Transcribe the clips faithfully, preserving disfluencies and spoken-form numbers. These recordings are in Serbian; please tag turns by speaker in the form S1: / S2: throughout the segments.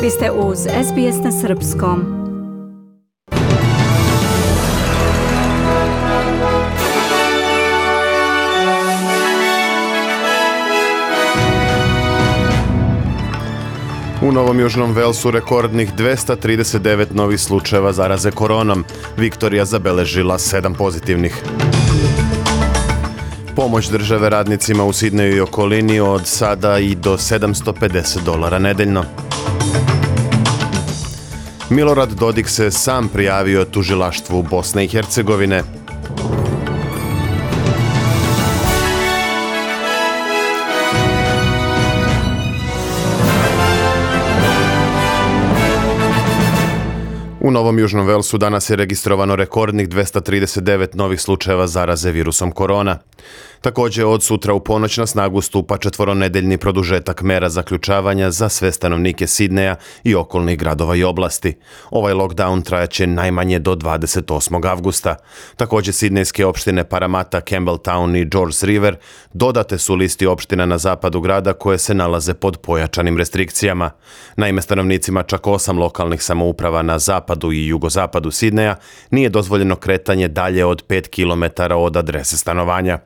S1: Vi ste uz S B S na srpskom.
S2: U Novom Južnom Velsu rekordnih dvesta trideset devet novih slučajeva zaraze koronom. Viktorija zabeležila sedam pozitivnih. Pomoć države radnicima u Sidneju i okolini od sada i do sedamsto pedeset dolara nedeljno. Milorad Dodik se sam prijavio tužilaštvu Bosne i Hercegovine. U Novom Južnom Velsu danas je registrovano rekordnih dvesta trideset devet novih slučajeva zaraze virusom korona. Također od sutra u ponoć na snagu stupa četvoronedeljni produžetak mera zaključavanja za sve stanovnike Sidneja i okolnih gradova i oblasti. Ovaj lockdown trajaće najmanje do dvadeset osmog avgusta. Također sidnejske opštine Parramatta, Campbelltown i Georges River dodate su listi opština na zapadu grada koje se nalaze pod pojačanim restrikcijama. Naime, stanovnicima čak osam lokalnih samouprava na zapadu i jugozapadu Sidneja nije dozvoljeno kretanje dalje od pet kilometara od adrese stanovanja.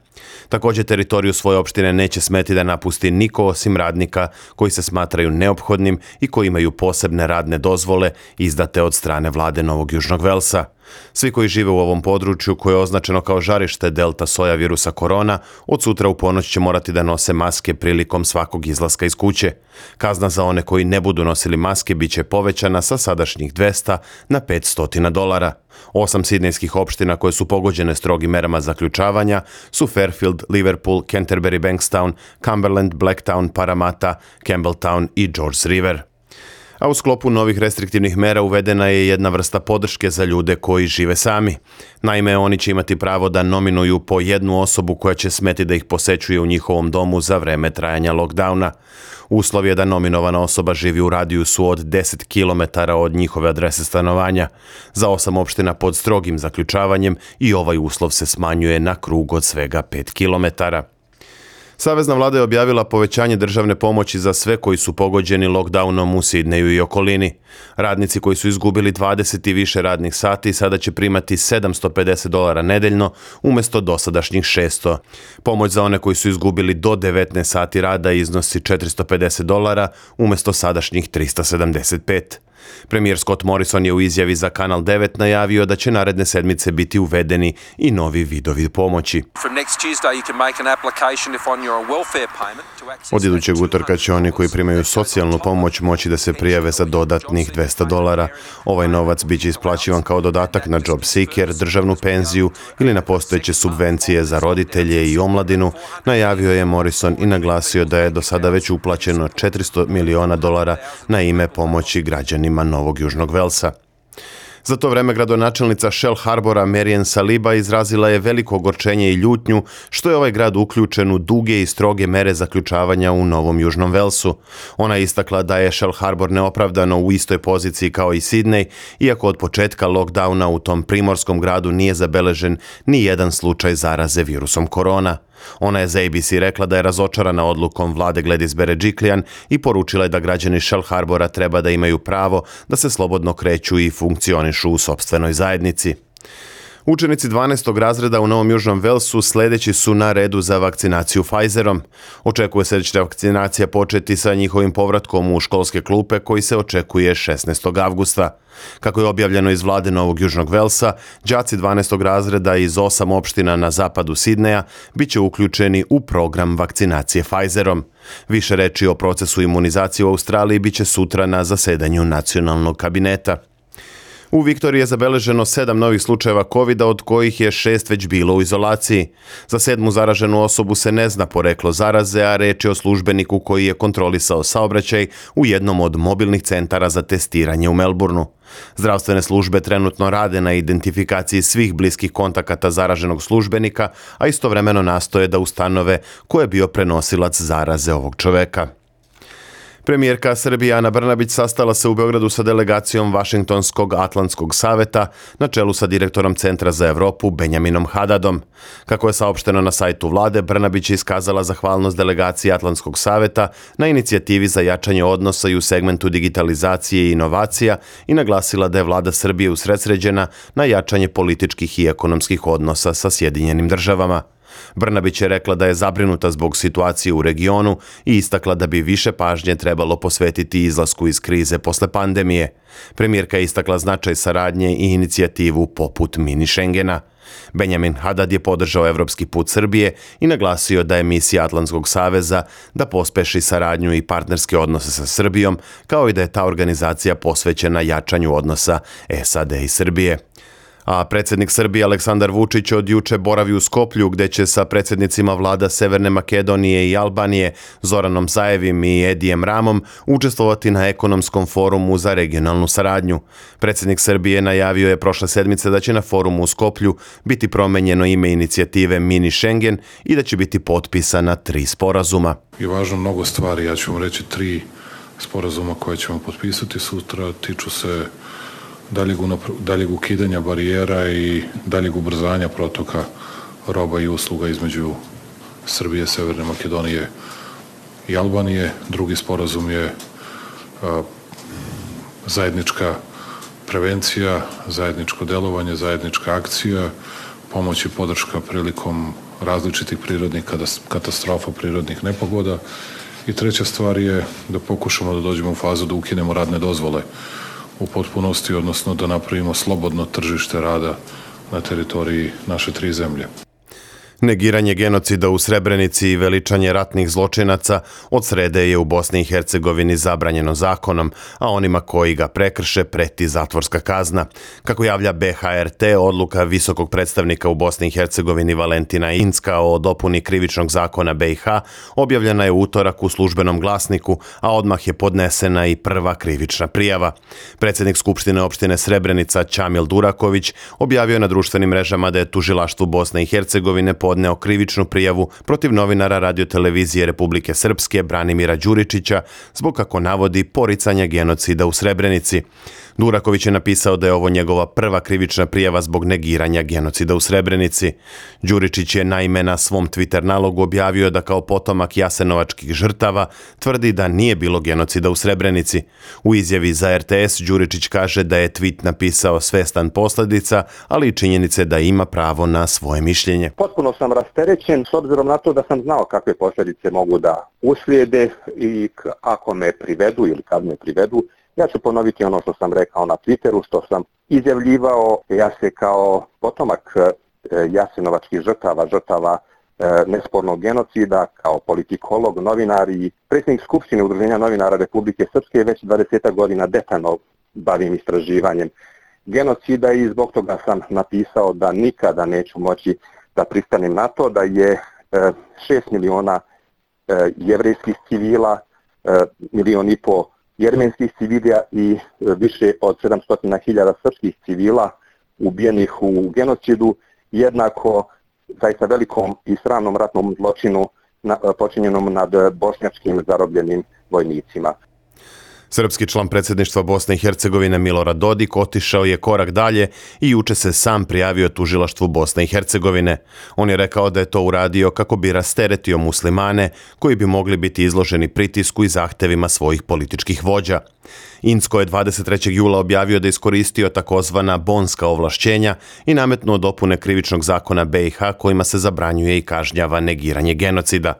S2: Također teritoriju svoje opštine neće smeti da napusti niko osim radnika koji se smatraju neophodnim i koji imaju posebne radne dozvole izdate od strane vlade Novog Južnog Velsa. Svi koji žive u ovom području koje je označeno kao žarište delta soja virusa korona, od sutra u ponoć će morati da nose maske prilikom svakog izlaska iz kuće. Kazna za one koji ne budu nosili maske bit će povećana sa sadašnjih dvesta na petsto dolara. Osam sidnejskih opština koje su pogođene strogim merama zaključavanja su Fairfield, Liverpool, Canterbury, Bankstown, Cumberland, Blacktown, Parramatta, Campbelltown i Georges River. A u sklopu novih restriktivnih mera uvedena je jedna vrsta podrške za ljude koji žive sami. Naime, oni će imati pravo da nominuju po jednu osobu koja će smeti da ih posećuje u njihovom domu za vreme trajanja lockdowna. Uslov je da nominovana osoba živi u radijusu od deset kilometara od njihove adrese stanovanja. Za osam opština pod strogim zaključavanjem i ovaj uslov se smanjuje na krug od svega pet kilometara. Savezna vlada je objavila povećanje državne pomoći za sve koji su pogođeni lockdownom u Sidneju i okolini. Radnici koji su izgubili dvadeset i više radnih sati sada će primati sedamsto pedeset dolara nedeljno umjesto dosadašnjih šesto. Pomoć za one koji su izgubili do devetnaest sati rada iznosi četiristo pedeset dolara umjesto sadašnjih tristo sedamdeset pet. Premijer Scott Morrison je u izjavi za Kanal devet najavio da će naredne sedmice biti uvedeni i novi vidovi pomoći. Od idućeg utorka će oni koji primaju socijalnu pomoć moći da se prijave za dodatnih dvesta dolara. Ovaj novac bit će isplaćivan kao dodatak na job seeker, državnu penziju ili na postojeće subvencije za roditelje i omladinu, najavio je Morrison i naglasio da je do sada već uplaćeno četiristo miliona dolara na ime pomoći građanima Novog Južnog Velsa. Za to vreme gradonačelnica Shell Harbora Marian Saliba izrazila je veliko ogorčenje i ljutnju što je ovaj grad uključen u duge i stroge mere zaključavanja u Novom Južnom Velsu. Ona je istakla da je Shell Harbor neopravdano u istoj poziciji kao i Sidney, iako od početka lockdowna u tom primorskom gradu nije zabeležen ni jedan slučaj zaraze virusom korona. Ona je za A B C rekla da je razočarana odlukom vlade Gladys Berejiklian i poručila je da građani Shell Harbora treba da imaju pravo da se slobodno kreću i funkcionišu u sopstvenoj zajednici. Učenici dvanaestog razreda u Novom Južnom Velsu sljedeći su na redu za vakcinaciju Pfizerom. Očekuje se da će vakcinacija početi sa njihovim povratkom u školske klupe koji se očekuje šesnaestog avgusta. Kako je objavljeno iz vlade Novog Južnog Velsa, đaci dvanaestog razreda iz osam opština na zapadu Sidneja bit će uključeni u program vakcinacije Pfizerom. Više reči o procesu imunizacije u Australiji bit će sutra na zasedanju nacionalnog kabineta. U Viktoriji je zabeleženo sedam novih slučajeva kovida, od kojih je šest već bilo u izolaciji. Za sedmu zaraženu osobu se ne zna poreklo zaraze, a reč je o službeniku koji je kontrolisao saobraćaj u jednom od mobilnih centara za testiranje u Melbourneu. Zdravstvene službe trenutno rade na identifikaciji svih bliskih kontakata zaraženog službenika, a istovremeno nastoje da ustanove ko je bio prenosilac zaraze ovog čoveka. Premijerka Srbije Ana Brnabić sastala se u Beogradu sa delegacijom Vašingtonskog Atlantskog saveta na čelu sa direktorom Centra za Evropu Benjaminom Hadadom. Kako je saopšteno na sajtu vlade, Brnabić je iskazala zahvalnost delegaciji Atlantskog saveta na inicijativi za jačanje odnosa i u segmentu digitalizacije i inovacija i naglasila da je vlada Srbije usredsređena na jačanje političkih i ekonomskih odnosa sa Sjedinjenim državama. Brnabić je rekla da je zabrinuta zbog situacije u regionu i istakla da bi više pažnje trebalo posvetiti izlasku iz krize posle pandemije. Premijerka je istakla značaj saradnje i inicijativu poput mini Schengena. Benjamin Hadad je podržao evropski put Srbije i naglasio da je misija Atlantskog saveza da pospeši saradnju i partnerske odnose sa Srbijom, kao i da je ta organizacija posvećena jačanju odnosa S A D i Srbije. A predsjednik Srbije Aleksandar Vučić od juče boravi u Skoplju, gde će sa predsjednicima vlada Severne Makedonije i Albanije, Zoranom Zaevim i Edijem Ramom, učestvovati na ekonomskom forumu za regionalnu saradnju. Predsjednik Srbije najavio je prošle sedmice da će na forumu u Skoplju biti promenjeno ime inicijative Mini Schengen i da će biti potpisana tri sporazuma.
S3: Je važno mnogo stvari, ja ću vam reći tri sporazuma koje ćemo potpisati sutra, tiču se daljeg, daljeg ukidanja barijera i daljeg ubrzanja protoka roba i usluga između Srbije, Severne Makedonije i Albanije. Drugi sporazum je a, zajednička prevencija, zajedničko delovanje, zajednička akcija, pomoć i podrška prilikom različitih prirodnih katastrofa, prirodnih nepogoda. I treća stvar je da pokušamo da dođemo u fazu da ukinemo radne dozvole u potpunosti, odnosno da napravimo slobodno tržište rada na teritoriji naše tri zemlje.
S2: Negiranje genocida u Srebrenici i veličanje ratnih zločinaca od srede je u Bosni i Hercegovini zabranjeno zakonom, a onima koji ga prekrše preti zatvorska kazna. Kako javlja B H R T, odluka visokog predstavnika u Bosni i Hercegovini Valentina Incka o dopuni krivičnog zakona B i H objavljena je u utorak u Službenom glasniku, a odmah je podnesena i prva krivična prijava. Predsjednik Skupštine opštine Srebrenica Ćamil Duraković objavio na društvenim mrežama da je tužilaštvo Bosne i Hercegovine podneo krivičnu prijavu protiv novinara radiotelevizije Republike Srpske Branimira Đuričića zbog, kako navodi, poricanja genocida u Srebrenici. Duraković je napisao da je ovo njegova prva krivična prijava zbog negiranja genocida u Srebrenici. Đuričić je naime na svom Twitter nalogu objavio da kao potomak jasenovačkih žrtava tvrdi da nije bilo genocida u Srebrenici. U izjavi za R T S Đuričić kaže da je tweet napisao svestan posljedica, ali i činjenice da ima pravo na svoje mišljenje.
S4: Potpuno sam rasterećen s obzirom na to da sam znao kakve posljedice mogu da uslijede i ako me privedu ili kad me privedu. Ja ću ponoviti ono što sam rekao na Twitteru, što sam izjavljivao. Ja se kao potomak jasenovačkih žrtava, žrtava nespornog genocida, kao politikolog, novinar i predsjednik Skupštine Udruženja novinara Republike Srpske već dvadeset godina detaljno bavim istraživanjem genocida i zbog toga sam napisao da nikada neću moći da pristanem na to da je šest miliona jevrejskih civila, milion i po jermenskih civila i više od sedamsto hiljada srpskih civila ubijenih u genocidu, jednako zaista velikom i sramnom ratnom zločinu počinjenom nad bošnjačkim zarobljenim vojnicima.
S2: Srpski član predsjedništva Bosne i Hercegovine Milorad Dodik otišao je korak dalje i juče se sam prijavio tužilaštvu Bosne i Hercegovine. On je rekao da je to uradio kako bi rasteretio muslimane koji bi mogli biti izloženi pritisku i zahtevima svojih političkih vođa. Incko je dvadeset trećeg jula objavio da je iskoristio takozvana bonska ovlašćenja i nametnuo dopune krivičnog zakona B i H kojima se zabranjuje i kažnjava negiranje genocida.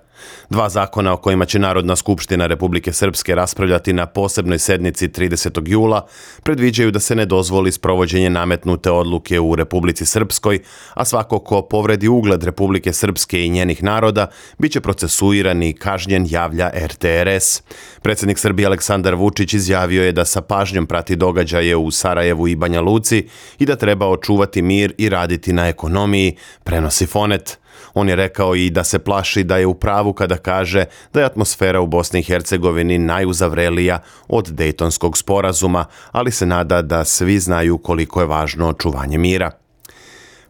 S2: Dva zakona o kojima će Narodna skupština Republike Srpske raspravljati na posebnoj sednici tridesetog jula predviđaju da se ne dozvoli sprovođenje nametnute odluke u Republici Srpskoj, a svako ko povredi ugled Republike Srpske i njenih naroda biće procesuiran i kažnjen, javlja R T R S. Predsjednik Srbije Aleksandar Vučić izjavio je da sa pažnjom prati događaje u Sarajevu i Banja Luci i da treba očuvati mir i raditi na ekonomiji, prenosi Fonet. On je rekao i da se plaši da je u pravu kada kaže da je atmosfera u Bosni i Hercegovini najuzavrelija od Dejtonskog sporazuma, ali se nada da svi znaju koliko je važno očuvanje mira.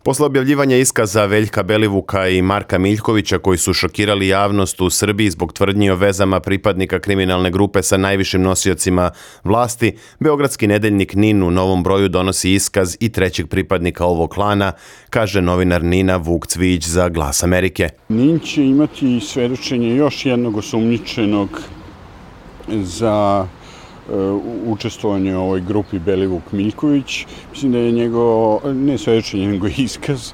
S2: Posle objavljivanja iskaza Veljka Belivuka i Marka Miljkovića koji su šokirali javnost u Srbiji zbog tvrdnji o vezama pripadnika kriminalne grupe sa najvišim nosiocima vlasti, beogradski nedeljnik Nin u novom broju donosi iskaz i trećeg pripadnika ovog klana, kaže novinar Nina Vuk Cvijić za Glas Amerike.
S5: Nin će imati svedočenje još jednog osumnjičenog za učestvovanje u ovoj grupi Belivuk Miljković. Mislim da je njegov, ne svedočenje, nego iskaz,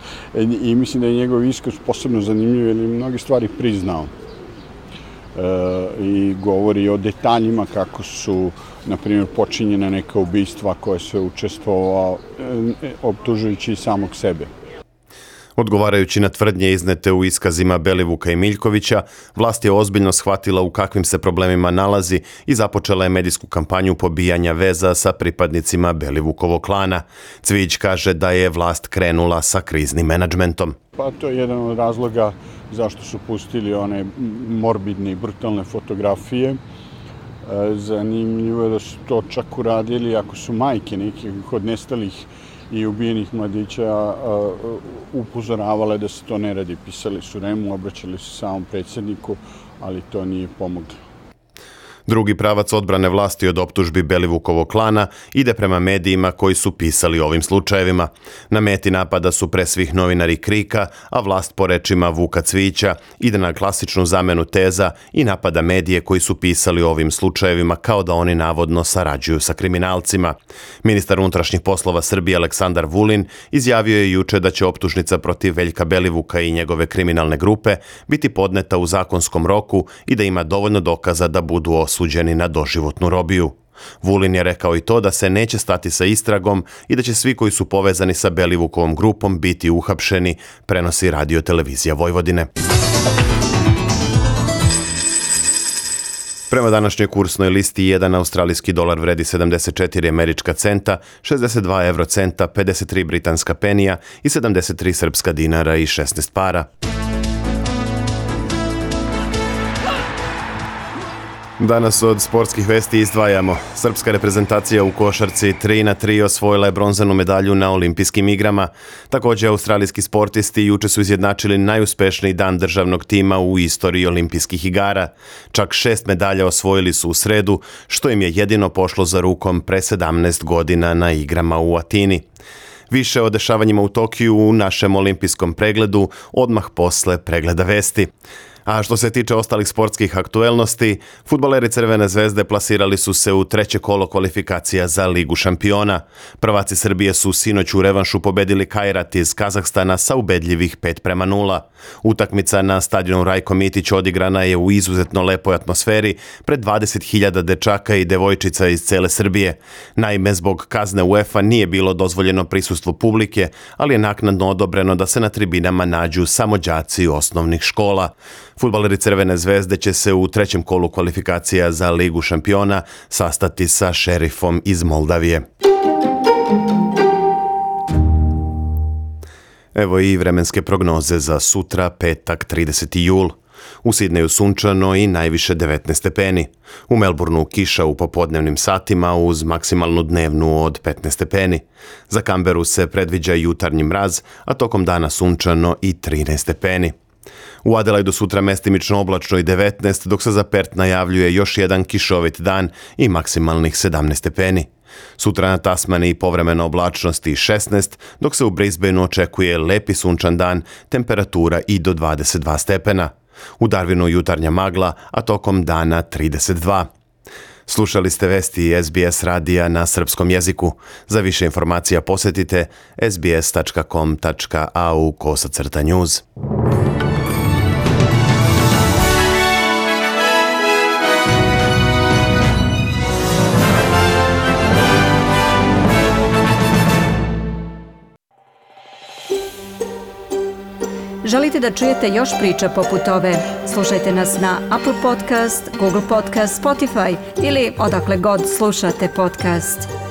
S5: i mislim da je njegov iskaz posebno zanimljiv jer je mnoge stvari priznao. E, I govori o detaljima kako su, na primjer, počinjene neka ubistva koje se učestvovao, e, optužujući i samog sebe.
S2: Odgovarajući na tvrdnje iznete u iskazima Belivuka i Miljkovića, vlast je ozbiljno shvatila u kakvim se problemima nalazi i započela je medijsku kampanju pobijanja veza sa pripadnicima Belivukovog klana. Cvijić kaže da je vlast krenula sa kriznim menadžmentom.
S5: Pa to je jedan od razloga zašto su pustili one morbidne i brutalne fotografije. Zanimljivo je da su to čak uradili ako su majke nekih od nestalih i ubijenih mladića upozoravale da se to ne radi. Pisali su Remu, obraćali su samom predsjedniku, ali to nije pomoglo.
S2: Drugi pravac odbrane vlasti od optužbi Belivukovog klana ide prema medijima koji su pisali o ovim slučajevima. Na meti napada su pre svih novinari Krika, a vlast po rečima Vuka Cvijića ide na klasičnu zamenu teza i napada medije koji su pisali o ovim slučajevima kao da oni navodno sarađuju sa kriminalcima. Ministar unutrašnjih poslova Srbije Aleksandar Vulin izjavio je juče da će optužnica protiv Veljka Belivuka i njegove kriminalne grupe biti podneta u zakonskom roku i da ima dovoljno dokaza da budu osuđeni na doživotnu robiju. Vulin je rekao i to da se neće stati sa istragom i da će svi koji su povezani sa Belivukovom grupom biti uhapšeni, prenosi Radio televizija Vojvodine. Prema današnjoj kursnoj listi jedan australijski dolar vredi sedamdeset četiri američka centa, šezdeset dva evrocenta, pedeset tri britanska penija i sedamdeset tri srpska dinara i šesnaest para. Danas od sportskih vesti izdvajamo. Srpska reprezentacija u košarci tri na tri osvojila je bronzanu medalju na olimpijskim igrama. Također, australijski sportisti juče su izjednačili najuspešniji dan državnog tima u istoriji olimpijskih igara. Čak šest medalja osvojili su u sredu, što im je jedino pošlo za rukom pre sedamnaest godina na igrama u Atini. Više o dešavanjima u Tokiju u našem olimpijskom pregledu odmah posle pregleda vesti. A što se tiče ostalih sportskih aktuelnosti, fudbaleri Crvene zvezde plasirali su se u treće kolo kvalifikacija za Ligu šampiona. Prvaci Srbije su sinoć u revanšu pobedili Kairat iz Kazahstana sa ubedljivih pet prema nula. Utakmica na stadionu Rajko Mitić odigrana je u izuzetno lepoj atmosferi pred dvadeset hiljada dečaka i devojčica iz cele Srbije. Naime, zbog kazne UEFA nije bilo dozvoljeno prisustvo publike, ali je naknadno odobreno da se na tribinama nađu samo đaci osnovnih škola. Fudbaleri Crvene zvezde će se u trećem kolu kvalifikacija za Ligu šampiona sastati sa Šerifom iz Moldavije. Evo i vremenske prognoze za sutra, petak, trideseti jul. U Sidneju sunčano i najviše devetnaest stepeni. U Melbourneu kiša u popodnevnim satima uz maksimalnu dnevnu od petnaest stepeni. Za Kamberu se predviđa jutarnji mraz, a tokom dana sunčano i trinaest stepeni. U Adelaidu sutra mestimično oblačno i devetnaest, dok se za Pert najavljuje još jedan kišovit dan i maksimalnih sedamnaest stepeni. Sutra na Tasmaniji povremeno oblačnost i šesnaest, dok se u Brisbaneu očekuje lepi sunčan dan, temperatura i do dvadeset dva stepena. U Darwinu jutarnja magla, a tokom dana trideset dva. Slušali ste vesti S B S radija na srpskom jeziku. Za više informacija posjetite s b s tačka com tačka a u kosacrta news.
S1: Želite da čujete još priča poput ove? Slušajte nas na Apple Podcast, Google Podcast, Spotify ili odakle god slušate podcast.